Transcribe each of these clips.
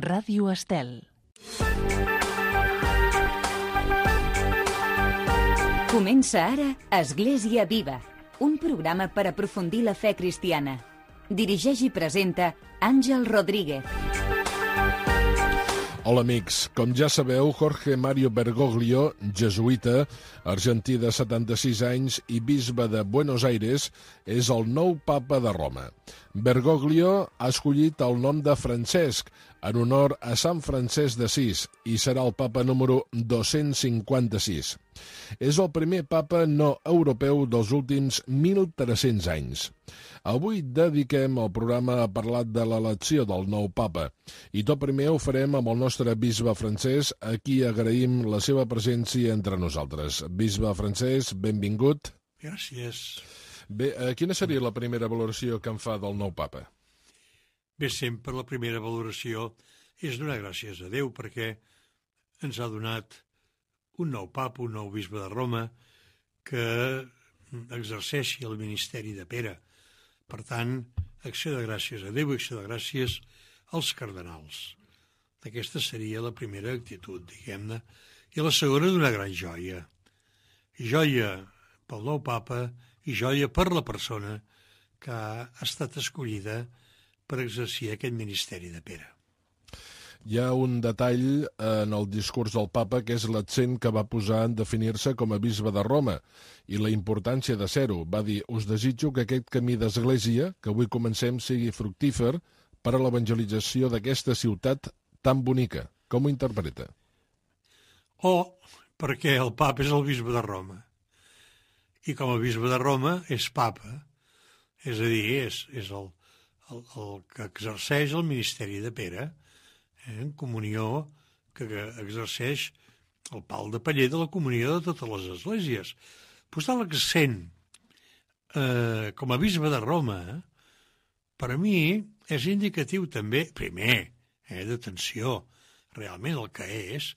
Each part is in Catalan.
Ràdio Estel. Comença ara Església Viva, un programa per aprofundir la fe cristiana. Dirigeix i presenta Àngel Rodríguez. Hola amics, com ja sabeu, Jorge Mario Bergoglio, jesuïta, argentí de 76 anys i bisbe de Buenos Aires, és el nou papa de Roma. Bergoglio ha escollit el nom de Francesc, en honor a Sant Francesc d'Assís, i serà el papa número 256. És el primer papa no europeu dels últims 1.300 anys. Avui dediquem el programa a parlar de l'elecció del nou papa, i tot primer ho farem amb el nostre bisbe Francesc, a qui agraïm la seva presència entre nosaltres. Bisbe Francesc, benvingut. Gràcies. Bé, quina seria la primera valoració que en fa del nou papa? Bé, sempre la primera valoració és donar gràcies a Déu perquè ens ha donat un nou papa, un nou bisbe de Roma, que exerceixi el ministeri de Pere. Per tant, acció de gràcies a Déu i acció de gràcies als cardenals. Aquesta seria la primera actitud, diguem-ne. I la segona, d'una gran joia. Joia pel nou papa i joia per la persona que ha estat escollida per exercir aquest ministeri de Pere. Hi ha un detall en el discurs del papa que és l'accent que va posar en definir-se com a bisbe de Roma i la importància de ser-ho. Va dir, us desitjo que aquest camí d'església, que avui comencem, sigui fructífer per a l'evangelització d'aquesta ciutat tan bonica. Com ho interpreta? Perquè el papa és el bisbe de Roma. I com a bisbe de Roma és papa. És a dir, és el que exerceix el ministeri de Pere, en comunió que exerceix el pal de paller de la comunió de totes les esglésies. Posar l'accent com a bisbe de Roma, per a mi és indicatiu també, primer, d'atenció realment el que és,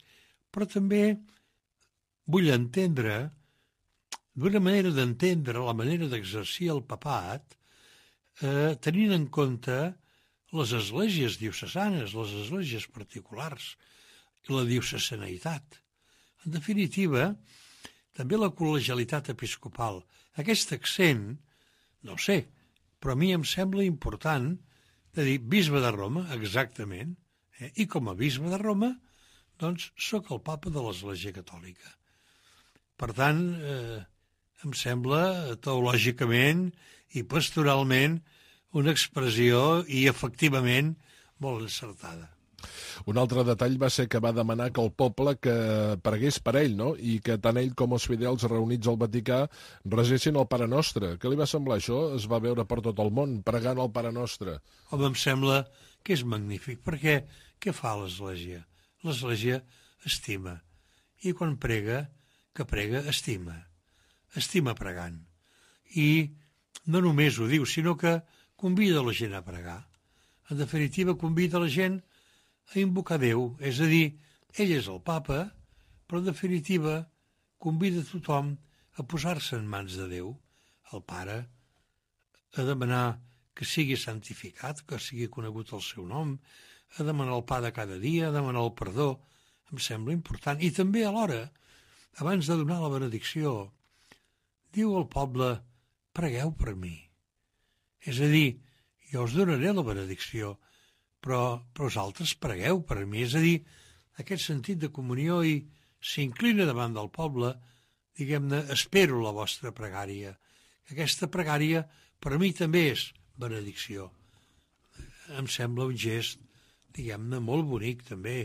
però també vull entendre, d'una manera d'entendre la manera d'exercir el papat, tenint en compte les esglésies diocesanes, les esglésies particulars i la diocesaneïtat. En definitiva, també la col·legialitat episcopal. Aquest accent, no ho sé, però a mi em sembla important de dir bisbe de Roma, exactament, i com a bisbe de Roma, doncs, sóc el papa de l'Església Catòlica. Per tant, em sembla teològicament i pastoralment una expressió i efectivament molt encertada. Un altre detall va ser que va demanar que el poble que pregués per ell, no? I que tant ell com els fidels reunits al Vaticà resessin el Pare Nostre. Què li va semblar això? Es va veure per tot el món pregant el Pare Nostre. Home, em sembla que és magnífic, perquè què fa l'Església? L'Església estima. I quan prega, que prega, estima. Estima pregant. I no només ho diu, sinó que convida la gent a pregar. En definitiva, convida la gent a invocar Déu. És a dir, ell és el papa, però en definitiva convida tothom a posar-se en mans de Déu, el Pare, a demanar que sigui santificat, que sigui conegut el seu nom, a demanar el pa de cada dia, a demanar el perdó. Em sembla important. I també alhora, abans de donar la benedicció, diu al poble, pregueu per mi. És a dir, jo us donaré la benedicció, però vosaltres pregueu per mi. És a dir, aquest sentit de comunió i s'inclina davant del poble, diguem-ne, espero la vostra pregària. Aquesta pregària per a mi també és benedicció. Em sembla un gest, diguem-ne, molt bonic també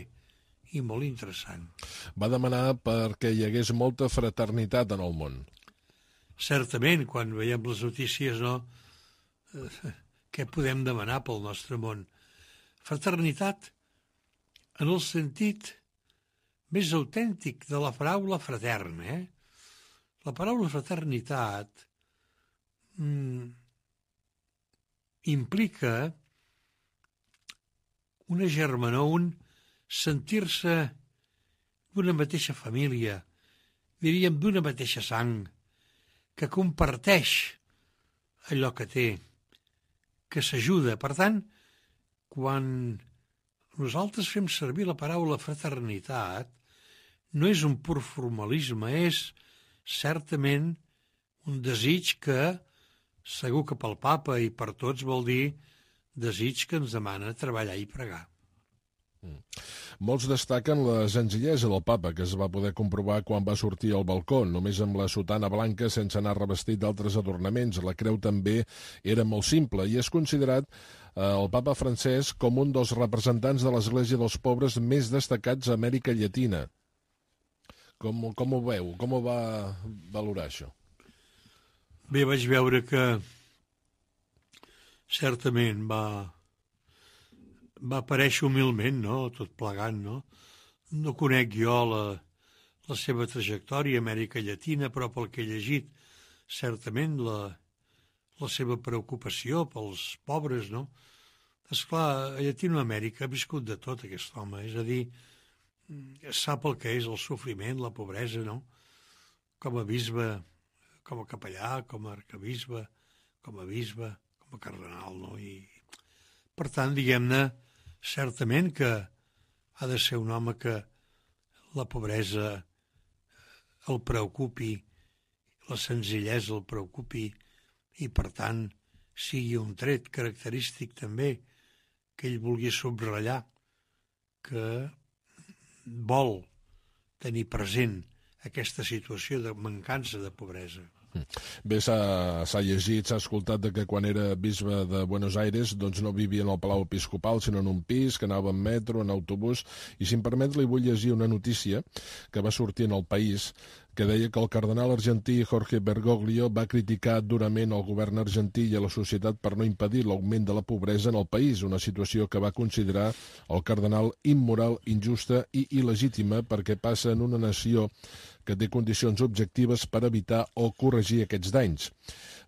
i molt interessant. Va demanar perquè hi hagués molta fraternitat en el món. Certament, quan veiem les notícies, no? Què podem demanar pel nostre món? Fraternitat en el sentit més autèntic de la paraula fraterna. La paraula fraternitat implica una germanor, un sentir-se d'una mateixa família, diríem d'una mateixa sang, que comparteix allò que té, que s'ajuda. Per tant, quan nosaltres fem servir la paraula fraternitat, no és un pur formalisme, és certament un desig que, segur que pel papa i per tots vol dir desig que ens demana treballar i pregar. Molts destaquen la senzillesa del papa, que es va poder comprovar quan va sortir al balcó, només amb la sotana blanca sense anar revestit d'altres adornaments. La creu també era molt simple i és considerat el papa Francesc com un dels representants de l'Església dels Pobres més destacats a Amèrica Llatina. Com ho veu? Com ho va valorar, això? Bé, vaig veure que certament va aparèixer humilment, no?, tot plegant, no? No conec jo la seva trajectòria a Amèrica Llatina, però pel que he llegit, certament la seva preocupació pels pobres, no? Esclar, a Llatinoamèrica ha viscut de tot aquest home, és a dir, sap el que és el sofriment, la pobresa, no? Com a bisbe, com a capellà, com a arcabisbe, com a bisbe, com a cardenal, no? I, per tant, diguem-ne, certament que ha de ser un home que la pobresa el preocupi, la senzillesa el preocupi i, per tant, sigui un tret característic també que ell vulgui subratllar, que vol tenir present aquesta situació de mancança de pobresa. Bé, s'ha llegit, s'ha escoltat de que quan era bisbe de Buenos Aires doncs no vivia en el Palau Episcopal, sinó en un pis, que anava en metro, en autobús, i si em permet li vull llegir una notícia que va sortir en El País, que deia que el cardenal argentí Jorge Bergoglio va criticar durament el govern argentí i a la societat per no impedir l'augment de la pobresa en el país, una situació que va considerar el cardenal immoral, injusta i il·legítima perquè passa en una nació que té condicions objectives per evitar o corregir aquests danys.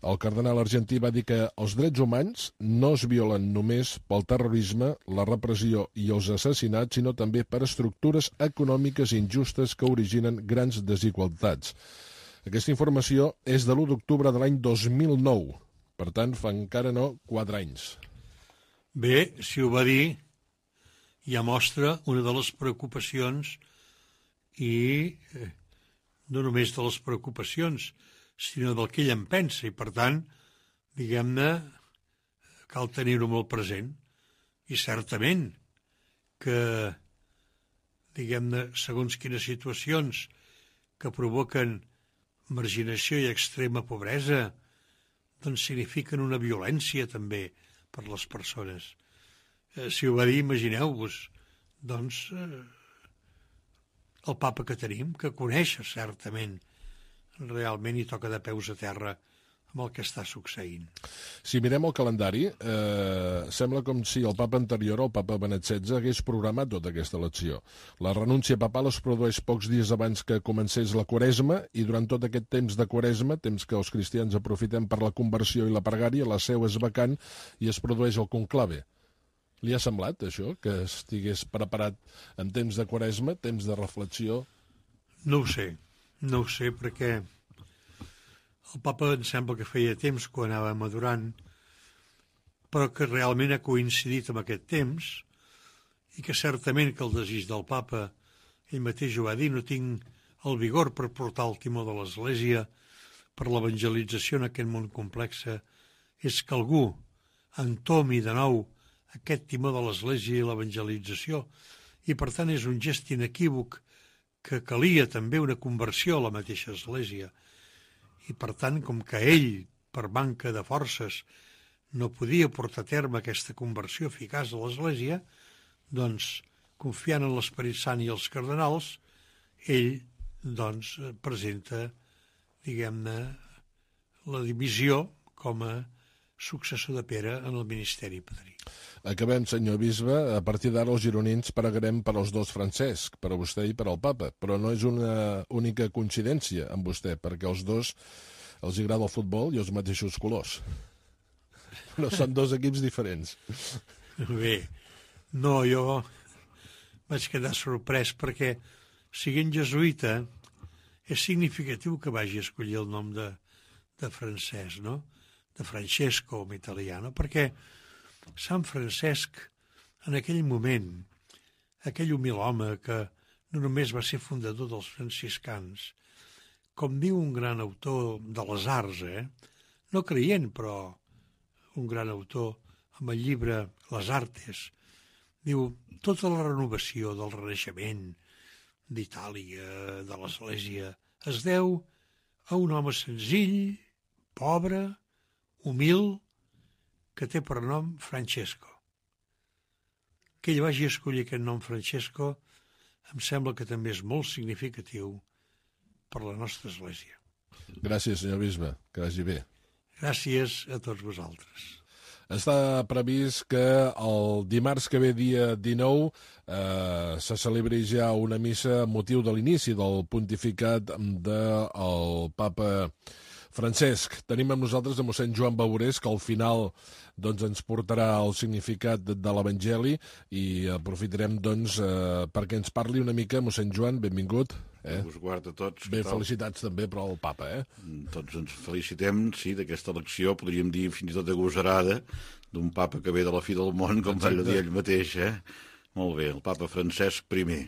El cardenal argentí va dir que els drets humans no es violen només pel terrorisme, la repressió i els assassinats, sinó també per estructures econòmiques injustes que originen grans desigualtats. Aquesta informació és de l'1 d'octubre de l'any 2009, per tant, fa encara no 4 anys. Bé, si ho va dir, ja mostra una de les preocupacions i no només de les preocupacions, sinó del que ell en pensa, i per tant, diguem-ne, cal tenir-ho molt present. I certament que, diguem-ne, segons quines situacions que provoquen marginació i extrema pobresa, doncs signifiquen una violència també per les persones. Si ho va dir, imagineu-vos, doncs, el papa que tenim, que coneix certament, realment hi toca de peus a terra amb el que està succeint. Si mirem el calendari, sembla com si el papa anterior, el papa Benet XVI, hagués programat tota aquesta elecció. La renúncia papal es produeix pocs dies abans que comencés la Quaresma i durant tot aquest temps de Quaresma, temps que els cristians aprofitem per la conversió i la pregària, la seu és vacant i es produeix el conclave. Li ha semblat, això, que estigués preparat en temps de Quaresma, temps de reflexió? No ho sé, perquè el papa em sembla que feia temps que ho anava madurant, però que realment ha coincidit amb aquest temps i que certament que el desig del papa, ell mateix ho va dir, no tinc el vigor per portar el timó de l'Església per l'evangelització en aquest món complex, és que algú entomi de nou aquest timó de l'Església i l'evangelització, i per tant és un gest inequívoc que calia també una conversió a la mateixa Església. I per tant, com que ell, per manca de forces, no podia portar a terme aquesta conversió eficaç a l'Església, doncs, confiant en l'Esperit Sant i els cardenals, ell, doncs, presenta, diguem-ne, la divisió com a successor de Pere en el ministeri padrí. Acabem, senyor bisbe. A partir d'ara els gironins pregarem per als dos Francesc, per a vostè i per al papa, però no és una única coincidència amb vostè, perquè els dos els agrada el futbol i els mateixos colors. No són dos equips diferents. Bé, no, jo vaig quedar sorprès perquè, siguent jesuïta, és significatiu que vagi a escollir el nom de Francesc, no? De Francesco, en italià, no? Perquè Sant Francesc, en aquell moment, aquell humil home que no només va ser fundador dels franciscans, com diu un gran autor de les arts, no creient, però un gran autor amb el llibre Les Artes, diu, tota la renovació del Renaixement d'Itàlia, de l'Església, es deu a un home senzill, pobre, humil, que té per nom Francesco. Que ell vagi escollir aquest nom Francesco em sembla que també és molt significatiu per la nostra Església. Gràcies, senyor bisbe, que vagi bé. Gràcies a tots vosaltres. Està previst que el dimarts que ve, dia 19, se celebri ja una missa amb motiu de l'inici del pontificat del papa Francesc. Tenim amb nosaltres a mossèn Joan Baurés, que al final ens portarà el significat de l'Evangeli, i aprofitarem perquè ens parli una mica. Mossèn Joan, benvingut. Us guard a tots. Bé, felicitats també per al papa, Tots ens felicitem, sí, d'aquesta elecció, podríem dir fins i tot agosarada, d'un papa que ve de la fi del món, com va dir ell mateix, Molt bé, el papa Francesc I.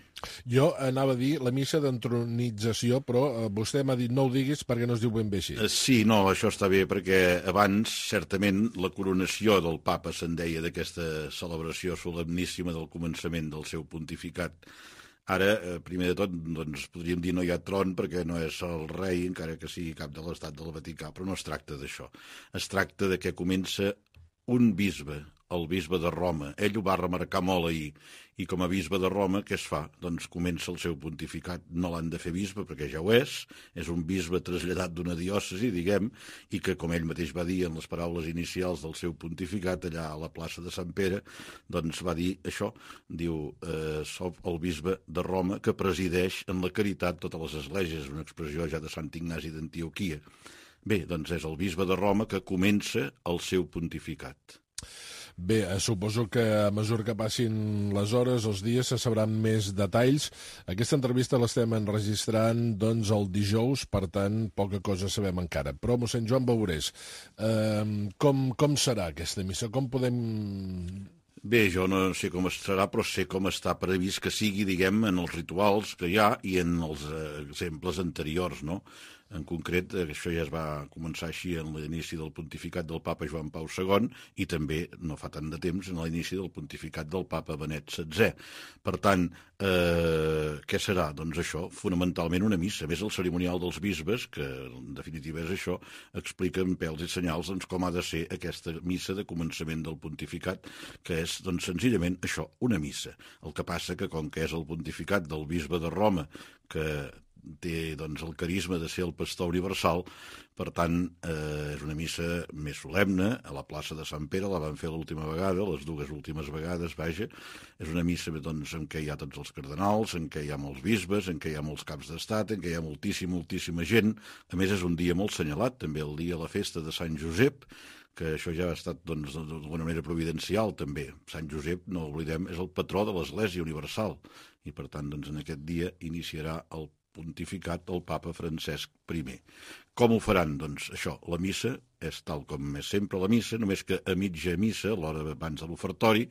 Jo anava a dir la missa d'entronització, però vostè m'ha dit no ho diguis perquè no es diu ben bé així. Sí, no, això està bé, perquè abans, certament, la coronació del papa se'n deia d'aquesta celebració solemníssima del començament del seu pontificat. Ara, primer de tot, podríem dir no hi ha tron perquè no és el rei, encara que sigui cap de l'estat del Vaticà, però no es tracta d'això. Es tracta de que comença un bisbe, el bisbe de Roma. Ell ho va remarcar molt ahir, i com a bisbe de Roma, què es fa? Doncs comença el seu pontificat. No l'han de fer bisbe, perquè ja ho és un bisbe traslladat d'una diòcesi, diguem, i que, com ell mateix va dir en les paraules inicials del seu pontificat, allà a la plaça de Sant Pere, doncs va dir això, diu, soc el bisbe de Roma que presideix en la caritat totes les esglésies, una expressió ja de Sant Ignasi d'Antioquia. Bé, doncs és el bisbe de Roma que comença el seu pontificat. Bé, suposo que a mesura que passin les hores, els dies, se sabran més detalls. Aquesta entrevista l'estem enregistrant, el dijous, per tant, poca cosa sabem encara. Però, mossèn Joan Baurés, com serà aquesta missa? Com podem... Bé, jo no sé com serà, però sé com està previst que sigui, diguem, en els rituals que hi ha i en els exemples anteriors, no? En concret, això ja es va començar així en l'inici del pontificat del papa Joan Pau II i també, no fa tant de temps, en l'inici del pontificat del papa Benet XVI. Per tant, què serà? Doncs això, fonamentalment una missa. A més, el cerimonial dels bisbes, que en definitiva és això, explica en pèls i senyals com ha de ser aquesta missa de començament del pontificat, que és, senzillament això, una missa. El que passa que, com que és el pontificat del bisbe de Roma, que té el carisma de ser el pastor universal, per tant, és una missa més solemne, a la plaça de Sant Pere, la van fer l'última vegada, les dues últimes vegades, vaja, és una missa en què hi ha tots els cardenals, en què hi ha molts bisbes, en què hi ha molts caps d'estat, en què hi ha moltíssima gent. A més, és un dia molt senyalat, també el dia de la festa de Sant Josep, que això ja ha estat, d'alguna manera, providencial, també. Sant Josep, no oblidem, és el patró de l'Església Universal, i, per tant, en aquest dia iniciarà el pontificat del papa Francesc I. Com ho faran? Doncs això, la missa és tal com és sempre la missa, només que a mitja missa, a l'hora abans de l'ofertori,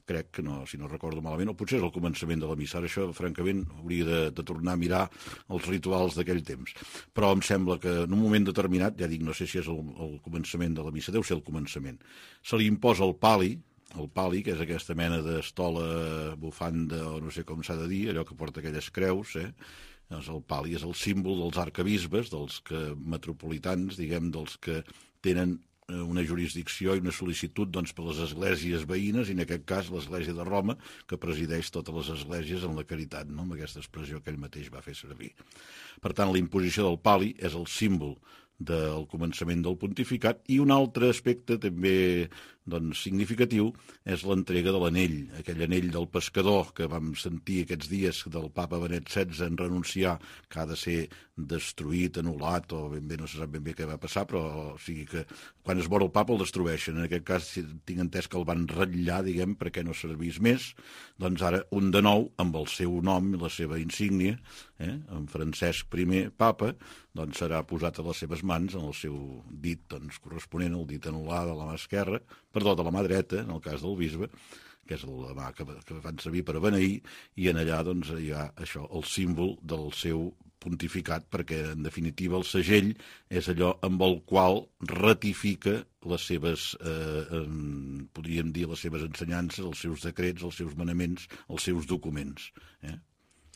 crec que no, si no recordo malament, o potser és el començament de la missa. Ara això, francament, hauria de tornar a mirar els rituals d'aquell temps. Però em sembla que en un moment determinat, ja dic, no sé si és el començament de la missa, deu ser el començament, se li imposa el pali, que és aquesta mena d'estola, bufanda, o no sé com s'ha de dir, allò que porta aquelles creus, el pali és el símbol dels arcabisbes, dels metropolitans, diguem, dels que tenen una jurisdicció i una sol·licitud per les esglésies veïnes, i en aquest cas l'església de Roma, que presideix totes les esglésies en la caritat, no? Amb aquesta expressió que ell mateix va fer servir. Per tant, la imposició del pali és el símbol del començament del pontificat, i un altre aspecte també significatiu és l'entrega de l'anell, aquell anell del pescador que vam sentir aquests dies del papa Benet XVI en renunciar, que ha de ser destruït, anul·lat, o ben bé no se sap ben bé què va passar, però o sigui que quan es mor el papa el destrueixen. En aquest cas tinc entès que el van ratllar, diguem, perquè no servís més. Doncs ara un de nou, amb el seu nom i la seva insígnia, en Francesc I, papa, doncs serà posat a les seves mans, en el seu dit corresponent, el dit anul·lar de la mà esquerra, perdó, de la mà dreta, en el cas del bisbe, que és la mà que fan servir per a beneir, i en allà doncs, hi ha això, el símbol del seu pontificat, perquè en definitiva el segell és allò amb el qual ratifica les seves, podríem dir, les seves ensenyances, els seus decrets, els seus manaments, els seus documents.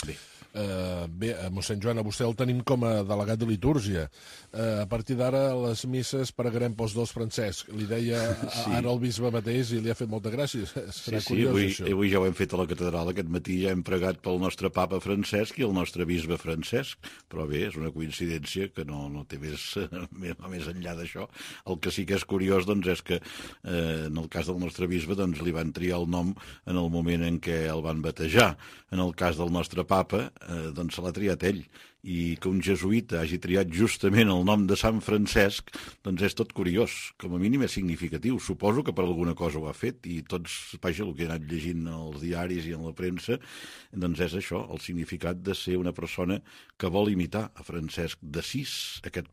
Bé. Bé, mossèn Joan, a vostè el tenim com a delegat de litúrgia. A partir d'ara les misses pregarem pels dos Francesc. Li deia ara el bisbe mateix i li ha fet molta gràcia. Serà curiós, això. Avui ja ho hem fet a la catedral. Aquest matí ja hem pregat pel nostre papa Francesc i el nostre bisbe Francesc. Però bé, és una coincidència que no té més enllà d'això. El que sí que és curiós doncs, és que en el cas del nostre bisbe doncs, li van triar el nom en el moment en què el van batejar. En el cas del nostre papa doncs se l'ha triat ell, i que un jesuïta hagi triat justament el nom de Sant Francesc, doncs és tot curiós, com a mínim és significatiu. Suposo que per alguna cosa ho ha fet, i tots, vaja, el que he anat llegint als diaris i en la premsa, doncs és això, el significat de ser una persona que vol imitar a Francesc d'Assís, aquest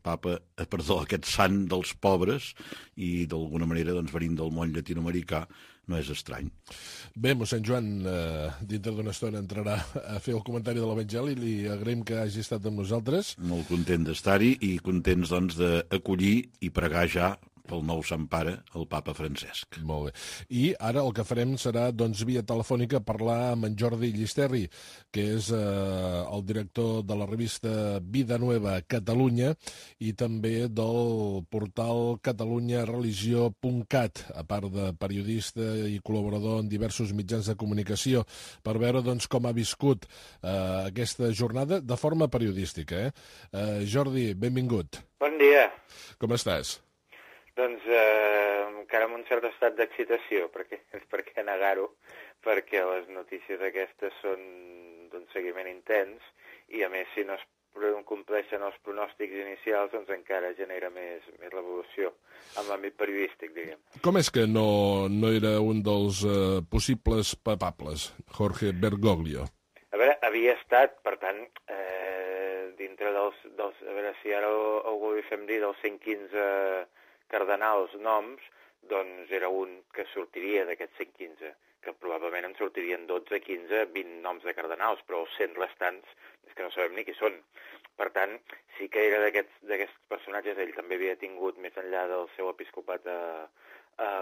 sant dels pobres, i d'alguna manera doncs, venint del món llatinoamericà, no és estrany. Bé, mossèn Joan, dintre d'una estona entrarà a fer el comentari de l'Evangeli. Li agraïm que hagi estat amb nosaltres. Molt content d'estar-hi i contents doncs, d'acollir i pregar ja pel nou Sant Pare, el papa Francesc. Molt bé. I ara el que farem serà, doncs, via telefònica, parlar amb en Jordi Llisterri, que és el director de la revista Vida Nueva Catalunya i també del portal catalunyareligió.cat, a part de periodista i col·laborador en diversos mitjans de comunicació, per veure doncs, com ha viscut aquesta jornada de forma periodística. Jordi, benvingut. Bon dia. Com estàs? Doncs encara amb un cert estat d'excitació, per què negar-ho, perquè les notícies aquestes són d'un seguiment intens i, a més, si no es compleixen els pronòstics inicials, doncs encara genera més l'evolució en l'àmbit periodístic, diguem. Com és que no era un dels possibles papables, Jorge Bergoglio? A veure, havia estat, per tant, dintre dels a veure si ara algú li fem dir dels 115 cardenals noms, doncs era un que sortiria d'aquests 115, que probablement en sortirien 12, 15, 20 noms de cardenals, però els 100 restants és que no sabem ni qui són. Per tant, sí que era d'aquests personatges, ell també havia tingut, més enllà del seu episcopat a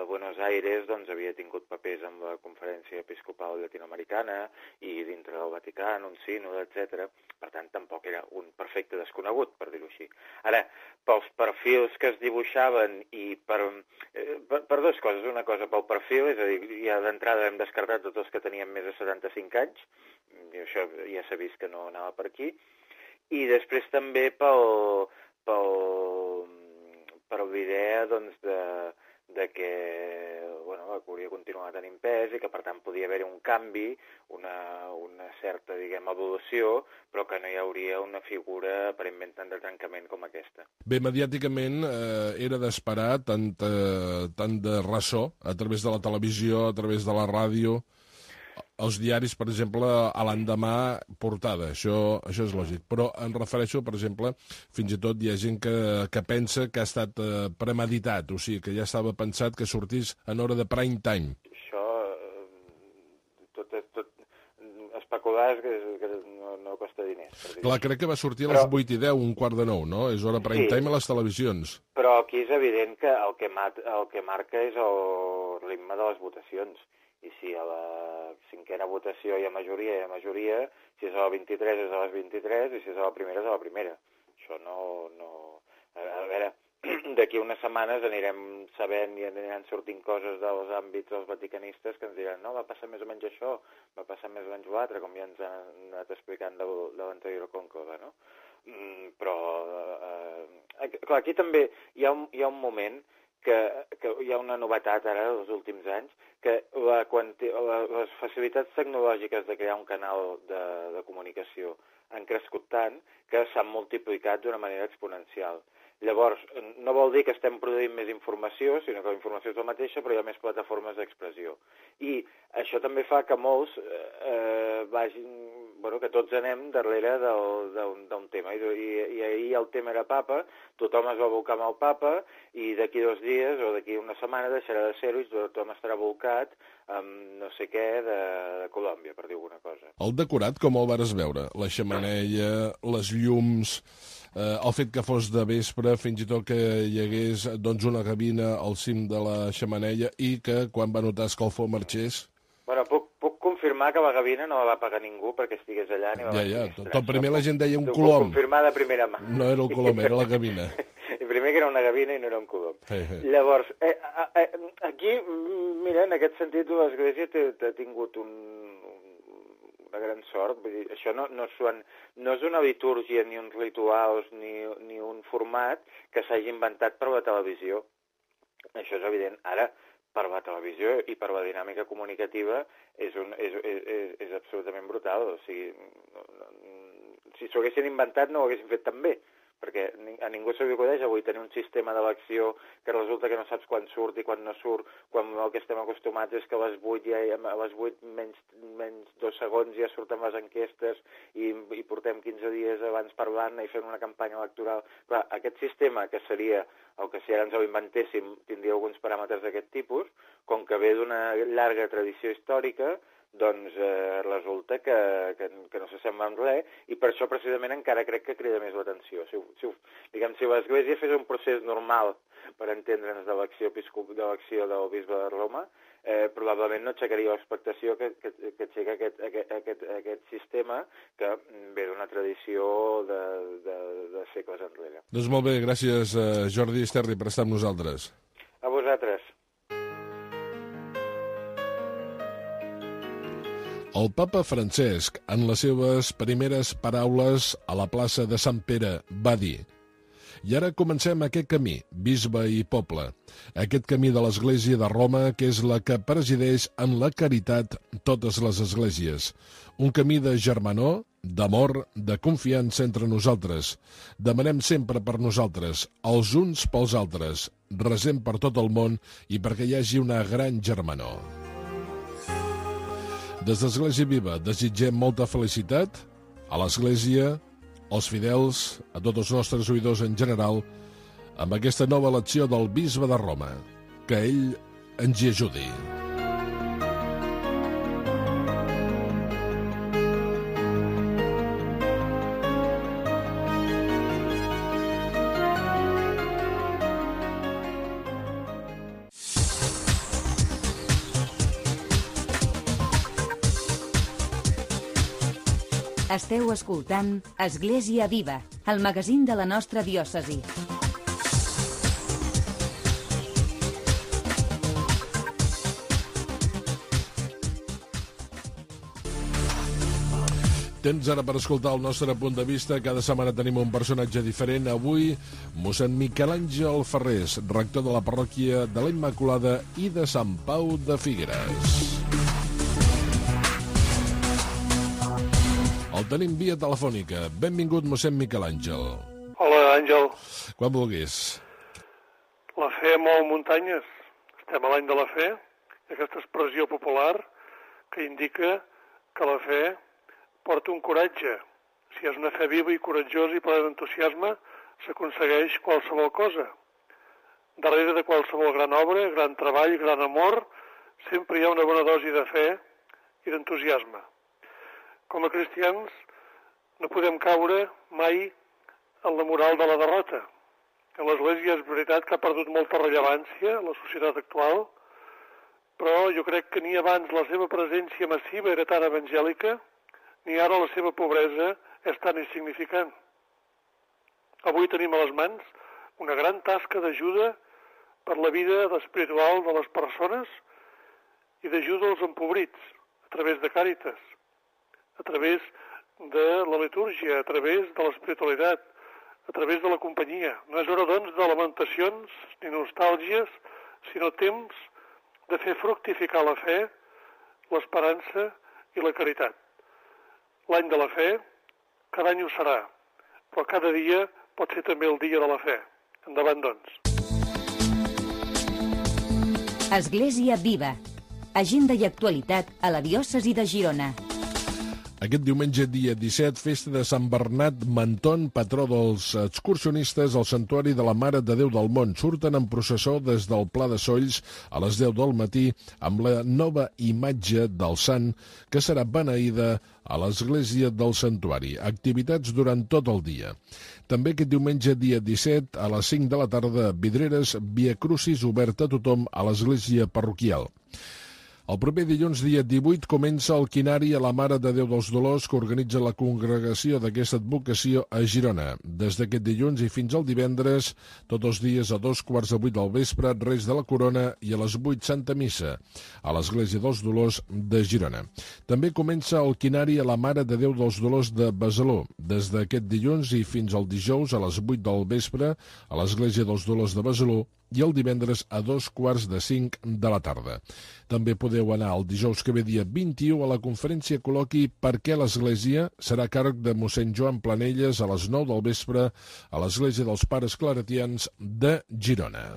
Buenos Aires, doncs havia tingut papers amb la Conferència Episcopal Llatinoamericana i dintre del Vaticà, un sínode, etc. Per tant, tampoc era un perfecte desconegut, per dir-ho així. Ara, pels perfils que es dibuixaven i per dues coses. Una cosa pel perfil, és a dir, ja d'entrada hem descartat tots els que tenien més de 75 anys, i això ja s'ha vist que no anava per aquí, i després també per l'idea, doncs, de que hauria continuat tenint pes i que, per tant, podia haver-hi un canvi, una certa, diguem, evolució, però que no hi hauria una figura aparentment tant de trencament com aquesta. Bé, mediàticament era d'esperar tant de ressò a través de la televisió, a través de la ràdio, els diaris, per exemple, a l'endemà portada, això és lògic. Però em refereixo, per exemple, fins i tot hi ha gent que pensa que ha estat premeditat, o sigui, que ja estava pensat que sortís en hora de prime time. Això, tot especular que no costa diners. Clar, crec que va sortir a les 8:10, 8:45, no? És hora prime time a les televisions. Però aquí és evident que el que marca és el ritme de les votacions. I si a la cinquena votació hi ha majoria, si és a la 23 és a les 23 i si és a la primera és a la primera. Això no... A veure, d'aquí unes setmanes anirem sabent i aniran sortint coses dels àmbits dels vaticanistes que ens diran no, va passar més o menys això, va passar més o menys l'altre, com ja ens han anat explicant de l'anterior conclave, no? Però, clar, aquí també hi ha un moment que hi ha una novetat ara dels últims anys, que les facilitats tecnològiques de crear un canal de comunicació han crescut tant que s'han multiplicat d'una manera exponencial. Llavors, no vol dir que estem produint més informació, sinó que la informació és la mateixa, però hi ha més plataformes d'expressió. I això també fa que molts que tots anem darrere d'un tema. I ahir el tema era papa, tothom es va abocar amb el papa, i d'aquí 2 dies o d'aquí una setmana deixarà de ser-ho i tothom estarà abocat amb no sé què de Colòmbia, per dir alguna cosa. El decorat, com el vares veure? La xemeneia, les llums, el fet que fos de vespre, fins i tot que hi hagués una gavina al cim de la xemeneia i que quan va notar escalfor marxés... Bueno, puc confirmar que la gavina no la va pagar ningú perquè estigués allà ni va tot primer la gent deia un colom. Puc confirmar de primera mà. No era el colom, era la gavina. Primer que era una gavina i no era un colom. Llavors, aquí, mira, en aquest sentit, l'Església ha tingut una gran sort. Vull dir, això no és una litúrgia, ni uns rituals, ni un format que s'hagi inventat per la televisió. Això és evident. Ara, per la televisió i per la dinàmica comunicativa és absolutament brutal. O sigui, si s'ho haguessin inventat no ho haguessin fet tan bé, perquè a ningú se li acudeix avui tenir un sistema d'elecció que resulta que no saps quan surt i quan no surt, quan el que estem acostumats és que a les 8 menys 2 segons ja surten les enquestes i portem 15 dies abans parlant i fent una campanya electoral. Clar, aquest sistema, que seria el que si ara ens ho inventéssim tindria alguns paràmetres d'aquest tipus, com que ve d'una llarga tradició històrica, doncs resulta que no s'assembla amb res, i per això precisament encara crec que crida més l'atenció. Si l'Església fes un procés normal, per entendre'ns, d'elecció del bisbe de Roma, probablement no aixecaria l'expectació que aixeca aquest sistema que ve d'una tradició de segles enrere. Doncs molt bé, gràcies Jordi Esterri per estar amb nosaltres. A vosaltres. El papa Francesc, en les seves primeres paraules a la plaça de Sant Pere, va dir: «I ara comencem aquest camí, bisbe i poble, aquest camí de l'Església de Roma, que és la que presideix en la caritat totes les esglésies. Un camí de germanor, d'amor, de confiança entre nosaltres. Demanem sempre per nosaltres, els uns pels altres, resem per tot el món i perquè hi hagi una gran germanor». Des d'Església Viva desitgem molta felicitat a l'Església, als fidels, a tots els nostres oïdors en general, amb aquesta nova elecció del bisbe de Roma. Que ell ens hi ajudi. Esteu escoltant Església Viva, el magazín de la nostra diòcesi. Temps ara per escoltar el nostre punt de vista. Cada setmana tenim un personatge diferent. Avui, mossèn Miquel Àngel Ferrés, rector de la parròquia de la Immaculada i de Sant Pau de Figueres. El tenim via telefònica. Benvingut, mossèn Miquel Àngel. Hola, Àngel. Quan vulguis. La fe mou muntanyes. Estem a l'any de la fe. Aquesta expressió popular que indica que la fe porta un coratge. Si és una fe viva i coratjosa i plena d'entusiasme, s'aconsegueix qualsevol cosa. Darrere de qualsevol gran obra, gran treball, gran amor, sempre hi ha una bona dosi de fe i d'entusiasme. Com a cristians no podem caure mai en la moral de la derrota. L'Església és veritat que ha perdut molta rellevància a la societat actual, però jo crec que ni abans la seva presència massiva era tan evangèlica, ni ara la seva pobresa és tan insignificant. Avui tenim a les mans una gran tasca d'ajuda per la vida espiritual de les persones i d'ajuda als empobrits, a través de Càritas, a través de la litúrgia, a través de l'espiritualitat, a través de la companyia. No és hora, doncs, de lamentacions ni nostàlgies, sinó temps de fer fructificar la fe, l'esperança i la caritat. L'any de la fe, cada any ho serà, però cada dia pot ser també el dia de la fe. Endavant, doncs. Església Viva. Agenda i actualitat a la diòcesi de Girona. Aquest diumenge, dia 17, festa de Sant Bernat Menton, patró dels excursionistes al Santuari de la Mare de Déu del Mont. Surten en processó des del Pla de Solls a les 10 del matí amb la nova imatge del sant que serà beneïda a l'església del santuari. Activitats durant tot el dia. També aquest diumenge, dia 17, a les 5 de la tarda, Vidreres, Via Crucis, obert a tothom a l'església parroquial. El proper dilluns, dia 18, comença el quinari a la Mare de Déu dels Dolors que organitza la congregació d'aquesta advocació a Girona. Des d'aquest dilluns i fins al divendres, tots els dies a 2:15 del vespre, res de la corona i a les 8 Santa Missa, a l'Església dels Dolors de Girona. També comença el quinari a la Mare de Déu dels Dolors de Besalú. Des d'aquest dilluns i fins al dijous a les 8 del vespre, a l'Església dels Dolors de Besalú, i el divendres a 4:45 de la tarda. També podeu anar el dijous que ve, dia 21, a la conferència col·loqui Per què l'Església serà a càrrec de mossèn Joan Planelles a les 9 del vespre a l'Església dels Pares Claretians de Girona.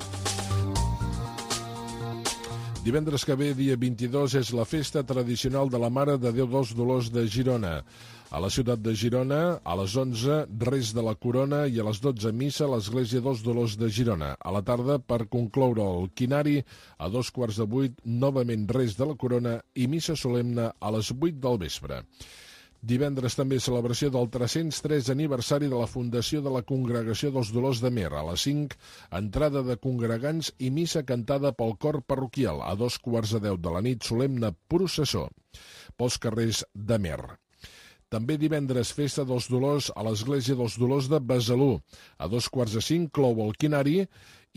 Divendres que ve, dia 22, és la festa tradicional de la Mare de Déu dels Dolors de Girona. A la ciutat de Girona, a les 11, res de la corona i a les 12, missa a l'Església dels Dolors de Girona. A la tarda, per concloure el quinari, a 7:15, novament res de la corona i missa solemne a les 8 del vespre. Divendres també celebració del 303 aniversari de la fundació de la Congregació dels Dolors de Mer. A les 5, entrada de congregants i missa cantada pel cor parroquial. A 9:15 de la nit, solemne processó pels carrers de Mer. També divendres, festa dels Dolors a l'Església dels Dolors de Besalú. A 4:45 clou el quinari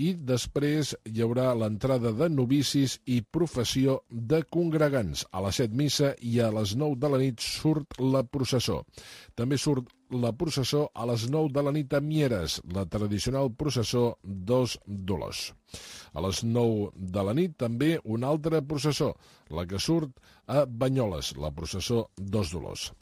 i després hi haurà l'entrada de novicis i professió de congregants. A les 7 missa i a les 9 de la nit surt la processó. També surt la processó a les 9 de la nit a Mieres, la tradicional processó dels Dolors. A les 9 de la nit també una altra processó, la que surt a Banyoles, la processó dels Dolors.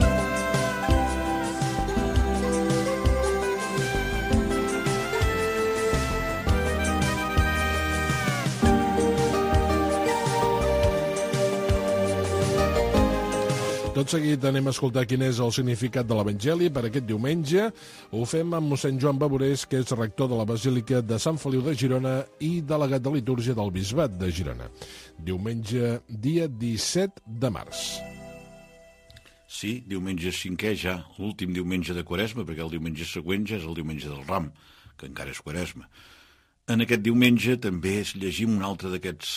Tot seguit anem a escoltar quin és el significat de l'Evangeli per aquest diumenge. Ho fem amb mossèn Joan Baborés, que és rector de la Basílica de Sant Feliu de Girona i delegat de litúrgia del Bisbat de Girona. Diumenge, dia 17 de març. Sí, diumenge 5è ja, l'últim diumenge de Quaresma, perquè el diumenge següent ja és el diumenge del Ram, que encara és Quaresma. En aquest diumenge també llegim un altre d'aquests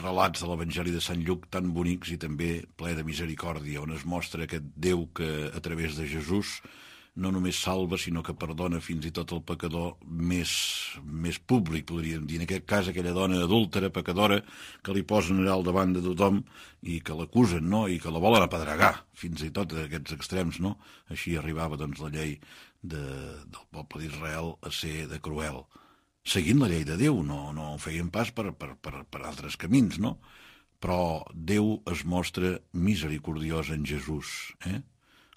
relats de l'Evangeli de Sant Lluc tan bonics i també ple de misericòrdia, on es mostra aquest Déu que a través de Jesús no només salva, sinó que perdona fins i tot el pecador més públic, podríem dir. En aquest cas, aquella dona adúltera, pecadora, que li posen allà al davant de tothom i que l'acusen, no?, i que la volen apedregar, fins i tot a aquests extrems, no? Així arribava, doncs, la llei del poble d'Israel a ser de cruel. Seguint la llei de Déu, no feien pas per altres camins, no? Però Déu es mostra misericordiós en Jesús,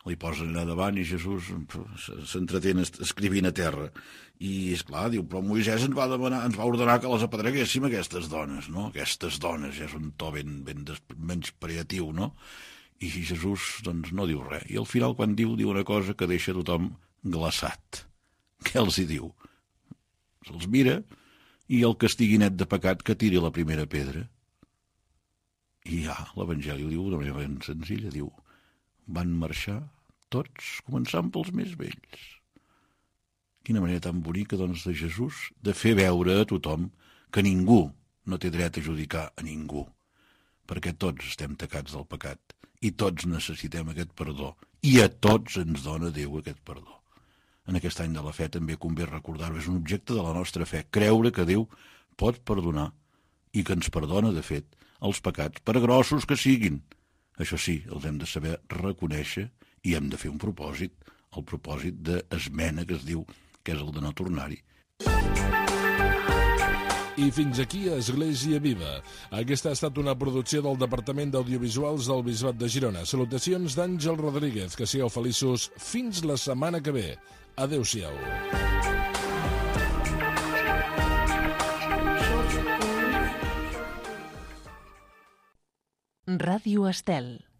Li posen allà davant i Jesús s'entretén escrivint a terra. I, esclar, diu, però Moisès ens va ordenar que les apedreguéssim, aquestes dones, no? Aquestes dones, ja és un to ben menyspreatiu, no? I Jesús, doncs, no diu res. I al final, quan diu una cosa que deixa tothom glaçat. Què els hi diu? Se'ls mira i el que estigui net de pecat que tiri la primera pedra. I ja, l'Evangeli ho diu d'una manera ben senzilla, diu, van marxar tots, començant pels més vells. Quina manera tan bonica, doncs, de Jesús, de fer veure a tothom que ningú no té dret a judicar a ningú, perquè tots estem tacats del pecat i tots necessitem aquest perdó, i a tots ens dona Déu aquest perdó. En aquest any de la fe també convé recordar-ho, és un objecte de la nostra fe, creure que Déu pot perdonar i que ens perdona, de fet, els pecats, per grossos que siguin. Això sí, els hem de saber reconèixer i hem de fer un propòsit, el propòsit d'esmena que es diu, que és el de no tornar-hi. I fins aquí Església Viva. Aquesta ha estat una producció del Departament d'Audiovisuals del Bisbat de Girona. Salutacions d'Àngel Rodríguez. Que sigueu feliços fins la setmana que ve. Adéu-siau. Ràdio Estel.